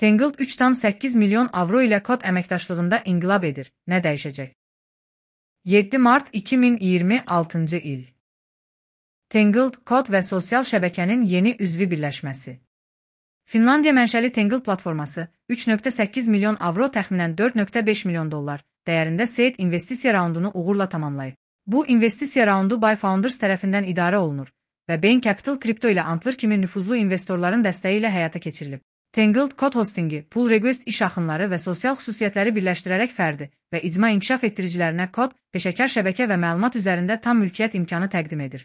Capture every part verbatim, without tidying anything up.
Tangled üç tam səkkiz milyon avro ilə kod əməkdaşlığında inqilab edir. Nə dəyişəcək? yeddi mart iki min iyirmi altıncı il. Tangled kod və sosial şəbəkənin yeni üzvü birləşməsi. Finlandiya mənşəli Tangled platforması üç nöqtə səkkiz milyon avro təxminən dörd nöqtə beş milyon dollar dəyərində seed investisiya raundunu uğurla tamamlayıb. Bu investisiya raundu By Founders tərəfindən idarə olunur və Bain Capital kripto ilə Antler kimi nüfuzlu investorların dəstəyi ilə həyata keçirilib. Tangled kod hostingi, pull request iş axınları və sosial xüsusiyyətləri birləşdirərək fərdi və icma inkişaf etdiricilərinə kod, peşəkar şəbəkə və məlumat üzərində tam mülkiyyət imkanı təqdim edir.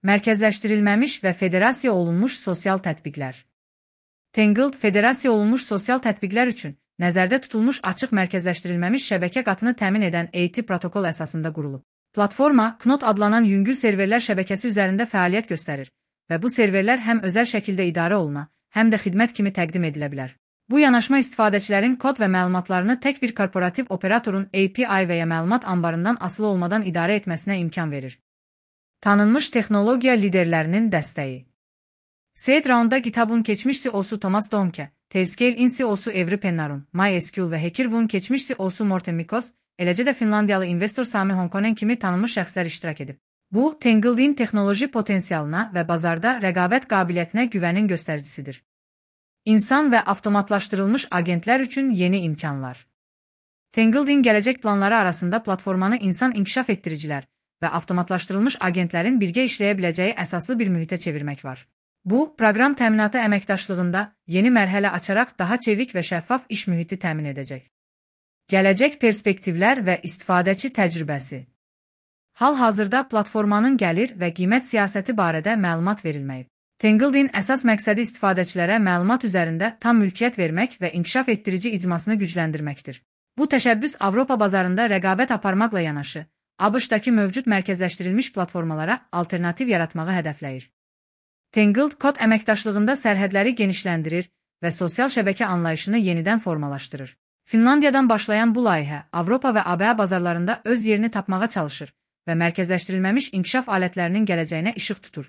Mərkəzləşdirilməmiş və federasiya olunmuş sosial tətbiqlər. Tangled federasiya olunmuş sosial tətbiqlər üçün nəzərdə tutulmuş açıq mərkəzləşdirilməmiş şəbəkə qatını təmin edən A T protokol əsasında qurulub. Platforma, Knot adlanan yüngül serverlər şəbəkəsi üzərində fəaliyyət göstərir və bu serverlər həm özəl şəkildə idarə oluna, həm də xidmət kimi təqdim edilə bilər. Bu yanaşma istifadəçilərin kod və məlumatlarını tək bir korporativ operatorun A P I və ya məlumat anbarından asılı olmadan idarə etməsinə imkan verir. Tanınmış texnologiya liderlərinin dəstəyi. Seed raundda GitHub'un keçmiş C E O'su Thomas Dohmke, Tailscale-in C E O'su Evry Pennarun, MySQL və HackerOne'un keçmiş C E O'su Morten Mikos, eləcə də Finlandiyalı investor Sami Honkonen kimi tanınmış şəxslər iştirak edib. Bu, Tangled'in texnoloji potensialına və bazarda rəqabət qabiliyyətinə güvənin göstəricisidir. İnsan və avtomatlaşdırılmış agentlər üçün yeni imkanlar. Tangled'in gələcək planları arasında platformanı insan inkişaf etdiricilər və avtomatlaşdırılmış agentlərin birgə işləyə biləcəyi əsaslı bir mühitə çevirmək var. Bu, proqram təminatı əməkdaşlığında yeni mərhələ açaraq daha çevik və şəffaf iş mühiti təmin edəcək. Gələcək perspektivlər və istifadəçi təcrübəsi. Hal-hazırda platformanın gəlir və qiymət siyasəti barədə məlumat verilməyib. Tangled'in əsas məqsədi istifadəçilərə məlumat üzərində tam mülkiyyət vermək və inkişaf etdirici icmasını gücləndirməkdir. Bu təşəbbüs Avropa bazarında rəqabət aparmaqla yanaşı, ABŞ-dakı mövcud mərkəzləşdirilmiş platformalara alternativ yaratmağı hədəfləyir. Tangled kod əməkdaşlığında sərhədləri genişləndirir və sosial şəbəkə anlayışını yenidən formalaşdırır. Finlandiyadan başlayan bu layihə Avropa və A B A bazarlarında öz yerini tapmağa çalışır və mərkəzləşdirilməmiş inkişaf alətlərinin gələcəyinə işıq tutur.